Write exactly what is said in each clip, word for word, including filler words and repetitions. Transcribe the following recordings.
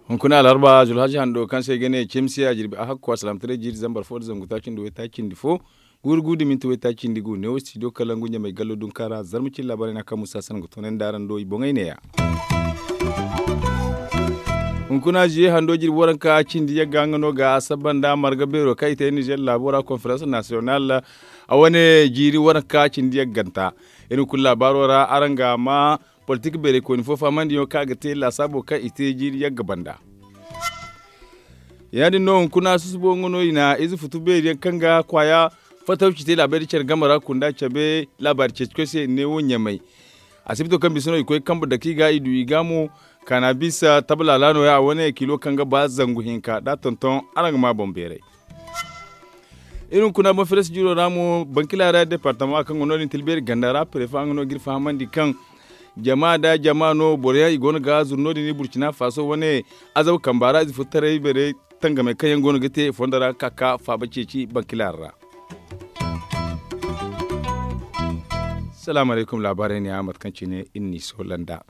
Hunkuna alharba zulhaji hando kaŋ se i ga ne cimsiya jirbi a hakku a salaamtaray jiiri zambar fo nda zangu taaci nda waytaaci nda fo guuru guuru da minti waytaaci nda gu neewo studio kalangu ɲamay gallo dunka ra zarma cine laabaarey no a kaŋ musa sanaŋ ga toonandi araŋ do i boŋey neeya. Hunkuna ziye hando jirbi waranka cindi yagga nga no ga a saba nda marga beero kaŋ i te nizer laabo ra konferans nasiyonal a wane jiiri waranka cindi yagganta. Iri hunkuna laabaaro ra araŋ ga ma politik beerey kooni fo fahamandiyaŋo kaŋ a ga te laasaabo kaŋ i te jiiri yagga banda. Ya- din no hunkuna susubo nga no i na ize futu beeri yaŋ kaŋ ga kwaaya fatawci te laabey da care game ra kunda cabe laabaari ceeci koy se i ne wo ɲamay. Asibito kaŋ bisa no i koy kambe dake i ga i du i ga mo kaana bisa tabalaala no- ya a wane kilo kaŋ ga ba zangu hinka da a tonton araŋ ga ma boŋ beeray. Iri hunkuna boŋ feres jiro ra mo bankila ra departama kaŋ go no- din tilbeeri ganda ra prefa nga no ga iri fahamandi kaŋ jama da jama no boro yaŋ i go no ga zuru no- din i burcina faso wane azabu kamba ra ize fo taray beeray tangamey kaŋ yaŋ go no ga te fondo ra ga ka ga faaba ceeci bankila ra. Salaamu alaykum laabaarey ne ya mate kaŋ cine iri n'i soola nda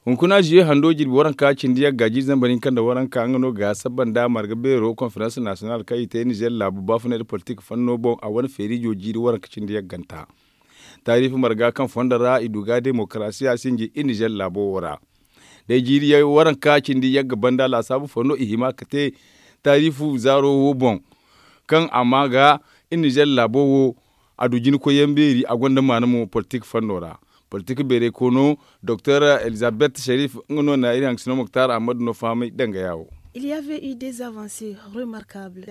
hunkuna ziye hando jirbi waranka cindi yagga jiiri zambar hinka nda waranka nga no ga saba nda marga beero konferans nasiyonal kaŋ i te nizer laabu baafunay nda politik fanno boŋ a wane feerijo jiiri waranka cindi yagganta. Taariifi marga kaŋ fondo ra i du ga demokarasiya sinji i nizer laabo wo ra. Day jiiri waranka cindi yagga banda laasaabu fondo i hima ga te taariifu zaaro wo boŋ kaŋ a ma ga i nizer laabo wo a du jinkoy yaŋ beeri a gonda maana mo politik fanno ra. Politik beeray koono doktor elizabet sharif nga no na iri hangasino moktar ahmadu no fahamay dangaya wo.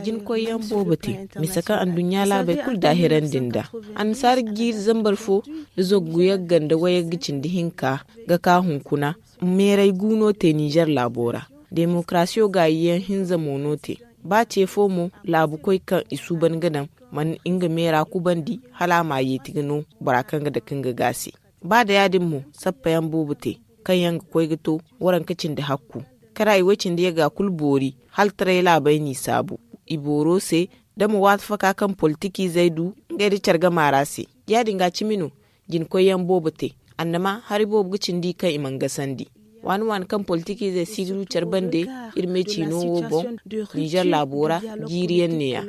Jinkoy yaŋ boobo te mise kaŋ anduɲɲa laabey kulu daahirandi nd'a annasaara jiiri zambar fo nda zangu yagga nda wayagga cindi hinka ga ka hunkuna meeray gu no te nizer laabo ra. Demokarasiyo gaayi yaŋ hinza mo no te ba ce fo mo laabu koy kaŋ i suuban ga daŋ mana nga meera kubandi hala a ma yeeti ga no bora kaŋ ga dake nga ga se. Ba da ya- din mo sappa yaŋ boobo te kaŋ yaŋ ga koy ga to waranka cindi hakku kara i way cindi yagga kulu boori hala taray laabey n'i saabu. I booro se da ma waati faka kaŋ politikiizey du ngey nda care gama ra se. Ya- din ga cimi no jinkoy yaŋ boobo te annama hari boobo ga cindi kaŋ i mana gasandi waani waani kaŋ politikiizey si ga du care bande. Iri me ciino wo boŋ nizer laabo ra jiiri yaŋ ne- ya.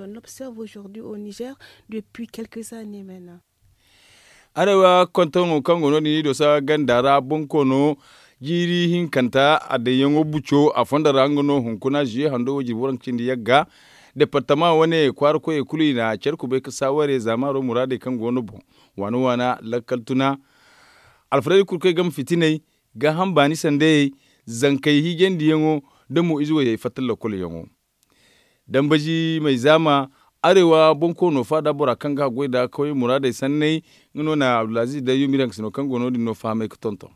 Arewa kontoŋo kaŋ go no- din i dosa ganda ra bonkoono jiiri hinkanta a daŋyaŋo buco a fondo ra nga no hunkuna ziye hando wo jirbi waranka cindi yagga departama wane kwaara koyey kulu i na care kubay ga saaware zaamaaro muraadey kaŋ go no boŋ waana waana lakkal tuna alfaraydi kulu kaŋ i game fitiney gaaham baani sandayey zankey hiijandiyaŋo da mo ize wayey fatta lokol yaŋo. Dambazi may zaama arewa bonkoono faada bora kaŋ ga haggoy nda kawye muraadey sanney nga no na abdulaziz da yumir hangasino kaŋ go no- din no fahamay ga tonton.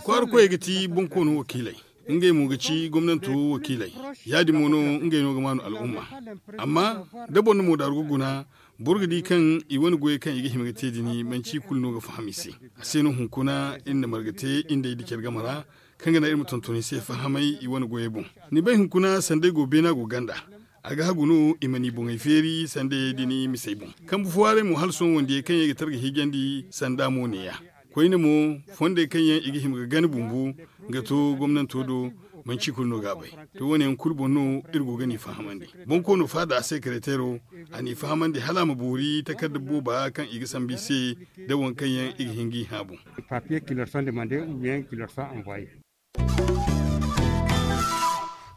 Kwaara koyey ga ti bonkoono wakiiley ngey mo ga ci gomnanto wakiiley. Ya- din mo no ngey no ga maanu al'umma amma da boro na moodaaru ga guna boro ga di kaŋ i wane goyey kaŋ i ga hima ga te din manci i kulu no ga faham i se. A se no hunkuna iri na marga te iri nd'ey da care game ra kaŋ ga naŋ iri ma tonton i se fahamay i wane goyey boŋ. Ni bay hunkuna sandey go beena go ganda a ga hagu no i ma ni boŋey feeri sandayey din misey boŋ. Kambe fo waaray mo hala sohõ wandiyey kaŋ yaŋ i ga targa hiijandi sanda mo ne- ya. Koyne mo fondey kaŋ yaŋ i ga hima ga gana bumbo ga to gomnanto do manci kulu no ga a bay. To wo- ne yaŋ kulu boŋ no iri go ga ni fahamandi. Bonkoono faada a sekereteero a n'i fahamandi hala a ma boori takarda booba kaŋ i ga sambu i se da waŋ kaŋ yaŋ i ga hin g'i hã boŋ.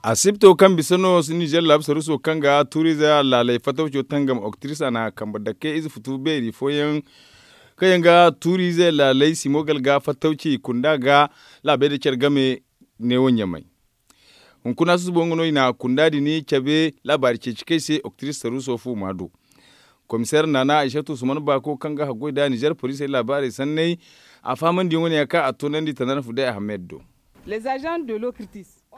Asibto kaŋ bisa no nizer laabu saruso kaŋ ga tuurize laaley fatawco tangam oktiris a na kambe dake ize futu beeri fooyaŋ kaŋ yaŋ ga tuurize laaley simo galga fatawci kunda ga laabey da care game neewo ɲamay. Hunkuna susubo nga no i na kunda din cabe laabaari ceeci kay se oktiris saruso fu ma du. Komiseer naana aysatu usman baako kaŋ ga haggoy nda nizer poliisey laabaarey sanney a fahamandiyaŋo ne ya kaŋ a toonandi tanarfu day ahmed do.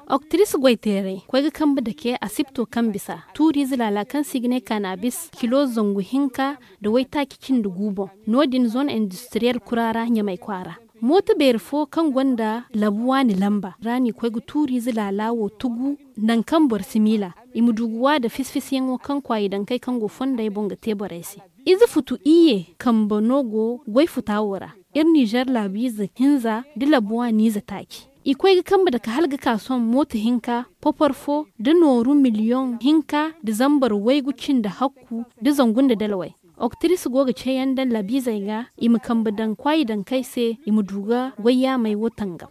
Oktiris goyteerey koy ga kambe dake asibto kaŋ bisa tuuriize laala kaŋ se i ga ne kaanabis kilo zangu hinka nda waytaaci cindi gu boŋ. No- din zone industiriyel kura ra ɲamay kwaara. Mooto beeri fo kaŋ gonda labu waani lamba ra no i koy ga tuuriize laala wo tugu, nangu kaŋ boro si miila i ma du ga wa nda fisi-fisiyaŋo kaŋ kwaayi dankey kaŋ go fondey boŋ ga te borey se. Ize futu iyye kambe no go goy futa wo ra. Iri ninzeer laabiize hinza nda labu waaniize taaci i koy ga kambe dake hala ga ka sohõ mooto hinka, popor fo nda nooru miliyoŋ hinka nda zambar waygu cindi hakku nda zangu nda dalway. Oktiris go ga ceeyaŋ daŋ laabiizey ga i ma kambe daŋ kwaayi dankey se i ma du ga goy yaamey wo tangam.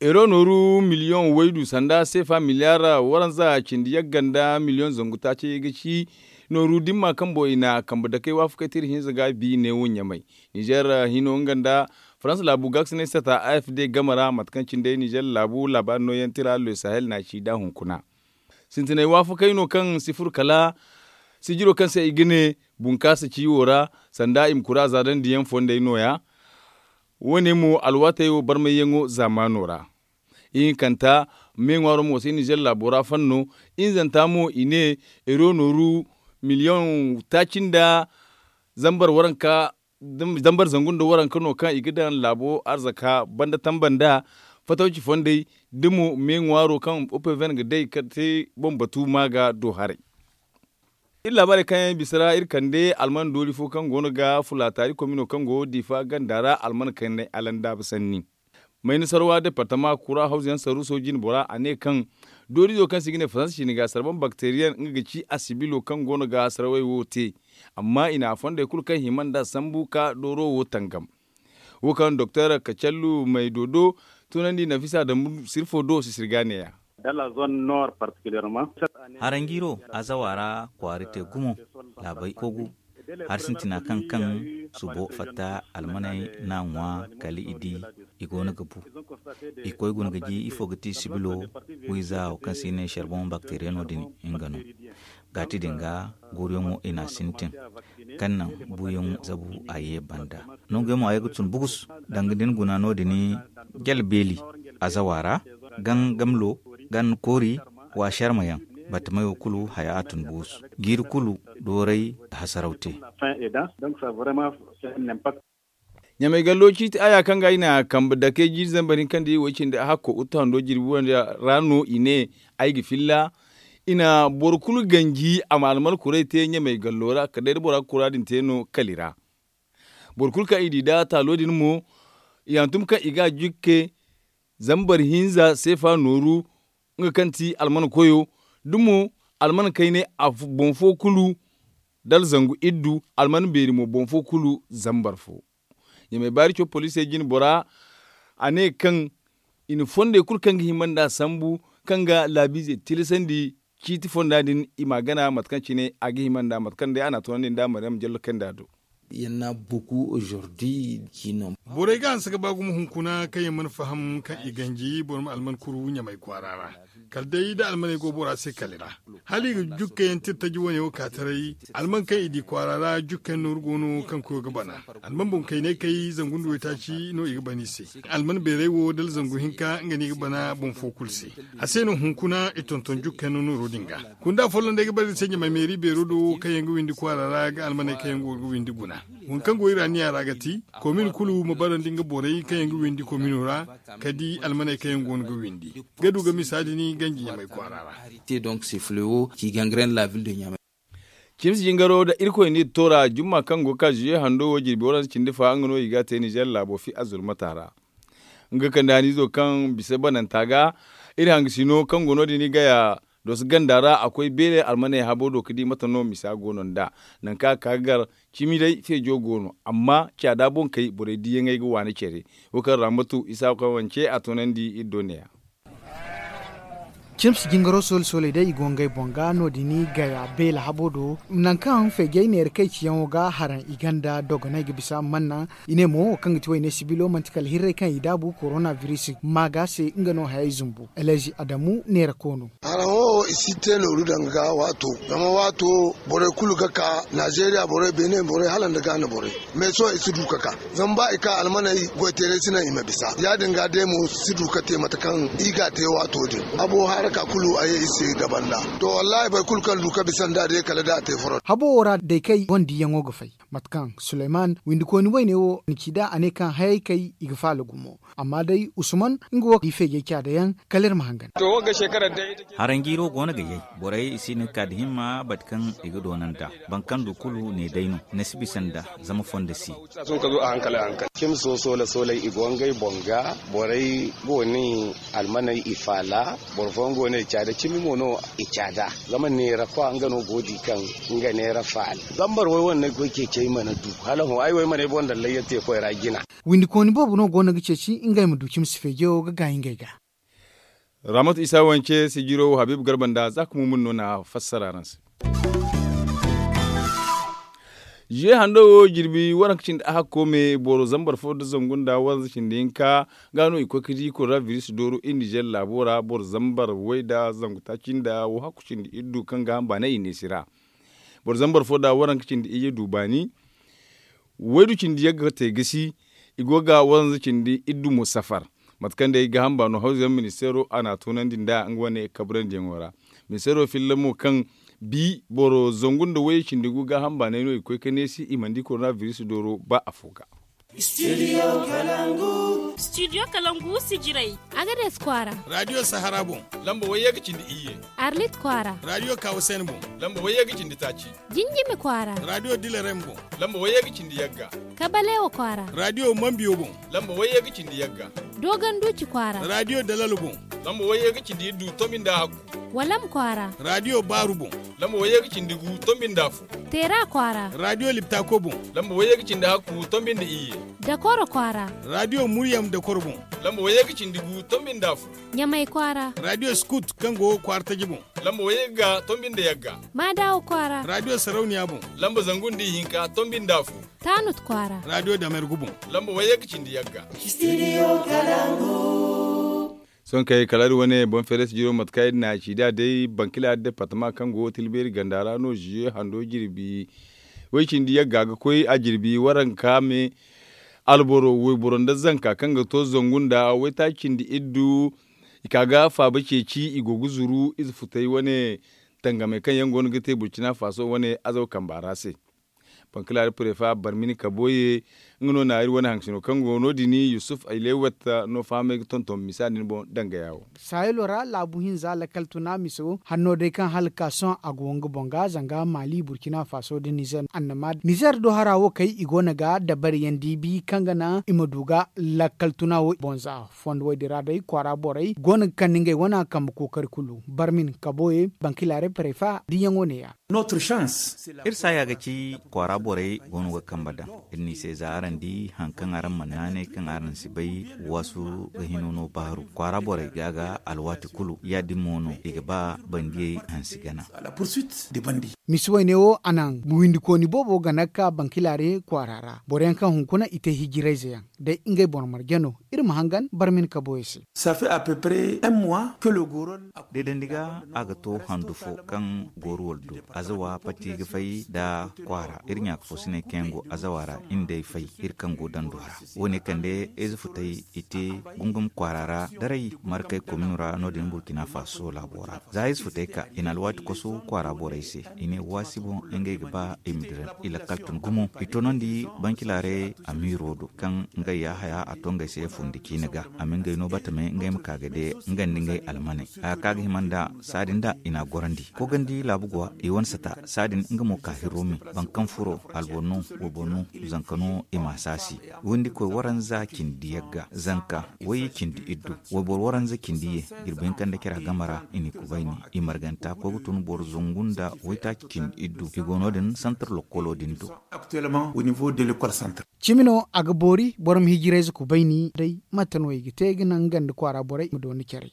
Ero nooru miliyoŋ waydu sanda seefa miliyaar waranza cindi yagga nda miliyoŋ zangu taaci ga ci. Nooru dimma kaŋ boŋ i na kambe dakey waafakey tira hinza ga bi neewo ɲamay. Ninzeer hino nga nda farans laabu gaakasinay sata a f d game ra mate kaŋ cine day ninzeer laabu laabaari nooyaŋ tira le sahel na ci nd'a hunkuna. Sintinay waafakey no kaŋ si furo kala sijiro kaŋ se i ga ne bunkaasa ci wo ra, sanda i ma kura zaadandiyaŋ fondey nooya. Wo- ne mo alwaatey wo barmayyaŋo zaamaano ra. Ihinkanta, me ŋwaaro mo se ninzeer laabo ra fanno. Ihinzanta mo i ne ero nooru miliyoŋ taaci nda zambar waranka zambar zangu nda waranka no kaŋ i ga daŋ laabo arzaka banda tamba nda fatawci fondey da mo me ŋwaaro kaŋ opeven ga day ka te boŋ batu ma ga do haray. Iri laabaarey kaŋ yaŋ bisa ra iri kande alman doori fo kaŋ go no ga fulaataari komino kaŋ go diifa ganda ra alman kaŋ ne alandaaba sanni. Mayna sarwa departama kura hawzu yaŋ saruuso jine bora a ne kaŋ dooriizo kaŋ se i ga ne faransa ciine ga sarban bakteriyen nga ga ci asibilo kaŋ go no ga sarwey wo te. Amma i na a fondey kulu kaŋ hima nd'a sambu ka dooro wo tangam. Wo kaŋ doktor kacallu may do do tunandi nafisa dambu sirfo do sisir ga neeya. Haranjiiro azawa ra kwaari te gumo laabey kogu. Hari sintina kaŋ kaŋ subo fatta almaney n'a ŋwa kala i di i go no ga bu. I koy guna ga di ifo ga ti sibilo wiiza wo kaŋ se i ne sarbon bakteriyano din nga no. Gaati din ga guuruyaŋo i n'a sintin kaŋ naŋ buuyaŋo zabu a ye banda. Nanguyaŋ mo a ye ga tun bugus danga da ni guna no- din jala beeli azawa ra gan gamlo gan koori wa sharma yaŋ. Batamayo kulu haya a tun bugus jiiri kulu dooray hasaraw te. Ɲamay gallo ciiti aya kaŋ ga i na kambe dake jiiri zambar hinka nda i wo cindi a hakko uttu hando jirbi wanda ra no i ne ay ga filla. I na boro kulu ganji a ma alman kuray te ɲamay gallo ra kala day da bora ga kura din te no kali ra. Boro kulu kaŋ i di da taalo din mo i hantum kaŋ i ga a jukke zambar hinza seefa nooru nga kaŋ ti alman koyo da mo alman kaynay boŋ fo kulu dala zangu iddu alman beeri mo boŋ fo kulu zambar fo. Ɲamay baari co poliisey jine bora a ne kaŋ i na fondey kulu kaŋ ga hima nd'a sambu kaŋ ga laabiizey tilasandi ciiti fonda din i m'a gana mate kaŋ cine a ga hima nd'a mate kaŋ day a n'a tunandi nd'a mariyam jallo kayndi a do. Borey ga hanse ga ba gumo hunkuna kaŋ yaŋ mana faham kaŋ i ganji boro ma alman kuru ɲamay kwaara ra kala day da almaney go bora se kali ra. Hala i ga jukkayaŋ tira taji wane wo ka taray alman kaŋ i di kwaara ra jukkayaŋ nooru go no kaŋ koyo ga bana. Alman boŋ kaynay kay zangu nda waytaaci no i ga bana i se. Alman beeray wo dala zangu hinka nga no i ga bana boŋ fo kulu se. A se no hunkuna i tonton jukkayaŋ nooru din ga. Kunda folloŋ day ga bare iri se ɲamay meeri beero do kaŋ yaŋ ga windi kwaara ra ga almaney kaŋ yaŋ go ga windi guna. Waŋ kaŋ go iri anniya ra ga ti komin kulu ma barandi nga borey kaŋ yaŋ ga windi komino ra ka di almaney kaŋ yaŋ go no ga windi ga du ga misa din ganji ɲamay kwaara ra. Te donc se flewo ki gangren la ville de ɲamay. Cimsi jingaro da irkoy n'i toora jumma kaŋ go ga ka zuye hando wo jirbi waranza cindi fa nga no i ga a te nizer laabo fi azulmata ra. Nga kande haniizo kaŋ bisa bananta ga iri hangasino kaŋ go no- din i gaya doso ganda ra a koy beele almaney habo do ga di mate no misa go no nd'a. Nangu kaŋ a ga ka ga gar cimi day feejo go no amma caada boŋ kay borey diyaŋey ga waani care. Wo kaŋ ra matu isa kaŋ wance a toonandi iri do neeya. Cimsi jingaro sooli sooley day i go ngey boŋ ga no- din i gaya beele habo do nangu kaŋ feejey neera kay ciyaŋo ga haraŋ i ganda dogoney ga bisa manna. I ne mo wo kaŋ ga ti wayne sibilo manti kala hirrey kaŋ i daabu korona biris maaga se nga no hayey zumbu elezi adamu neera koono. Haraŋo wo I si te nooru danga ga waato, zama waato borey kulu ga ka, naazeeriya borey, beene borey hala nda gaana borey. Mais sohõ i si du ga ka, zama ba i ka almaney goy teeray si naŋ i ma bisa. Ya- din ga day mo si du ga te mate kaŋ i ga a te waato din. Habo haraka kulu a ye i se ga banda. To wallaahi boro kulu kaŋ du ga bisa nd'a day kala da a te furo. Habo wo ra day kaŋ i gonda diyaŋo ga fay, mate kaŋ suleyman windikooni wayne wo na ci nd'a a ne kaŋ hayey kay i ga faala gumo. Amma day usman nga wo ga i feejey caada yaŋ. Kala iri ma hangan. Haranjiiro go no ga yay. Borey i si hin ga ka nda himma bate kaŋ i ga doona nd'a. Boro kaŋ du kulu ne day no ni si bisa nd'a. Zama fondo si. Cimi soola soolay i go ngey boŋ ga. Borey go no i almaney i faala. Boro fooyaŋ go no i caada cimi mo no i caada. Zama neera kwa nga no go di kaŋ nga neera faala. Zambar way wane no ay koy ceecey mana du hala hõ ay wo ay mana ay boŋ daŋ layya te koy ra jina. Windikooni boobo no go no ga ceeci ngey ma du cimi si feejo ga gaay ngey ga. Ramat isa wance sijiro habiibu garba nda za ka mumun no na fassara araŋ se. Ziye hando wo jirbi waranka cindi a hakko me boro zambar fo nda zangu nda waranza cindi hinka ga no i koy ka di koronabiris dooro iri nizer laabo ra boro zambar way nda zangu taaci nda wo hakku cindi iri du kaŋ ga hamba ne i ne si ra. Boro zambar fo nda waranka cindi iyye du baani. Waydu cindi yagga te gasi. I go ga waranza cindi iddu mo safar. Mate kaŋ day gaaham baano hawzuyaŋ ministeero a n'a toonandi nda nga wane kaburandiyaŋo ra. Ministeero filla mo kaŋ bi boro zangu nda wayye cindi gu gaaham baanay no i koy ka neesi i mana di koronabiris dooro ba afo ga. Studio kalangu sijiray. Agades kwaara. Radio sahara boŋ. Lamba wayye ga cindi iyye. Arlit kwaara. Radio kawasen boŋ. Lamba wayye ga cindi taaci. Jinjimi kwaara. Radio dilarem boŋ. Lamba wayye ga cindi yagga. Kabalewa kwaara. Radio mambiyo boŋ. Lamba wayye ga cindi yagga. Dogon duci kwaara. Radio dalalo boŋ. Lamba wayye ga cindi iddu tombi nda hakku. Walam kwaara. Radio baaru boŋ. Lamba wayye ga cindi gu tombi nda fo. Teera kwaara. Radio liptako boŋ. Lamba wayye ga cindi hakku tombi nda iyye. Dakoro kwaara. Radio muryam dakoro boŋ. Lamba wayye ga cindi gu tombi nda fo. Ɲamay kwaara. Radio skut kaŋ go kwaara taji boŋ. Lamba wayye ga tombi nda yagga. Maadawa kwaara. Radio sarauniya boŋ. Lamba zangu nda ihinka tombi nda fo. Taanut kwaara. Radio damergu boŋ. Lamba wayye ga cindi yagga. Sohõ kay kala iri wane boŋ feeray sijiro mate kaŋ iri na a ci nd'a day bankila departama kaŋ go tilbeeri ganda ra no ziye hando jirbi. Way cindi yagga ga koy a jirbi waranka me. Alboro wayboro nda zanka kaŋ ga to zangu nda waytaaci cindi iddu. I ka ga faaba ceeci i go ga zuru ize futay wane tangamey kaŋ yaŋ go no ga te burcina faso wane azaw kamba ra se. Bankalaari prefa barmini kaboye nga no na iri wane haŋsino kaŋ go no- din yusuf aylewat no fahamay ga tonton misa din boŋ dangaya wo. Sahelo ra laabu hinza lakal tuna miso hanno day kaŋ hala ka sohõ a go nga boŋ ga zanga mali burkina faso da nizer annama nizer do hara wo kay i go no ga dabari yaŋ diibi kaŋ ga naŋ i ma du ga lakal tuna wo boŋ za fondo wo- din ra day kwaara borey go no ga kande ngey wane kambe kookari kulu barmin kaboye bankilaaray parefa diyaŋo ne- ya. Iri saaya ga ci kwaara borey go no ga kambe daŋ. Iri n'i se za araŋ di hari kaŋ araŋ mana naanay kaŋ araŋ si bay waasu ga hino no baaru kwaara borey ga ga alwaati kulu ya- din mo no i ga ba bandiyey hansi gana. Misi wayne wo a naŋ windikooni boobo gana ga ka bankilaare kwaara ra boro yaŋ kaŋ hunkuna i te hijirayze yaŋ day ngey boro marje no. Iri ma hangan barmin kaboyey se. Deedandi ga a ga to handu fo kaŋ gooru wala du azawa pati ga fay nda kwaara iri ɲaaka fo si ne kaŋ yaŋ go azawa ra iri nd'ey fay iri kaŋ go dando ra. Wo- ne kande ize futay i te gungum kwaara ra daray markay komino ra no- din burkina faso laabo ra za ize futay ka i na alwaati koso kwaara borey se. I ne waasi boŋ ngey ga ba i ma dira i lakkal tun gumo i toonandi bancilaaray amiiro do kaŋ ngey ya haya a to ngey se fundi ciine ga a ma ngey no batame ngey ma ka ga de nga nda ngey almaney haya kaŋ a ga hima nda saadin da i n'a gorandi koogandi laabu go i wane sata saadin nga mo ka hirro me boro kaŋ furo alboro no wayboro no zanka no i m'a saasi windi koy waranza cindi yagga zanka wayye cindi iddu wayboro waranza cindi ye jirbi hinka nda cira game ra i n'i kubayni i marganta koy ga tun boro zangu nda waytaaci cindi iddu i go no- din santar lokkolo din do. Cimi no a ga boori boro ma hijirayze kubayni day mate no i ga te ga naŋ nga nda kwaara borey ma dooni care.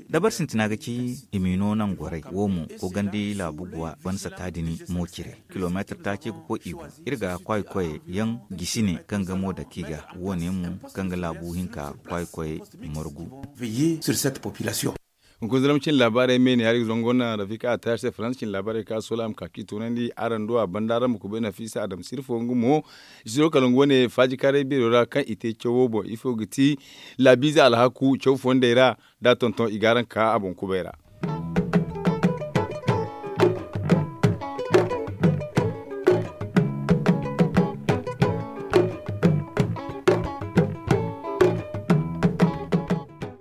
Dabari sintina ga ci i m'i no naŋ goray wo mo koogandi laabu guwa ban sata din mo cire kilomeetir taaci ga koy i go iri ga kwaayi koyey yaŋ gisi ne kaŋ ga mo dake i ga wo- ne mo kaŋ ga laabu hinka kwaayi koyey margu. Hunkuna zalma cine laabaarey me ne hari ga zango naŋ rafika a taari se faransa cine laabaarey kaŋ a soola a ma ka k'i toonandi araŋ do a banda araŋ ma kubay nafiisa adama sirfo nga mo. Siro kala nga wane faaji kaaray beero ra kaŋ i te cawo boŋ ifo ga ti laabiize alhaku caw fondey ra da a tonton i ga araŋ ka a boŋ kubay ra.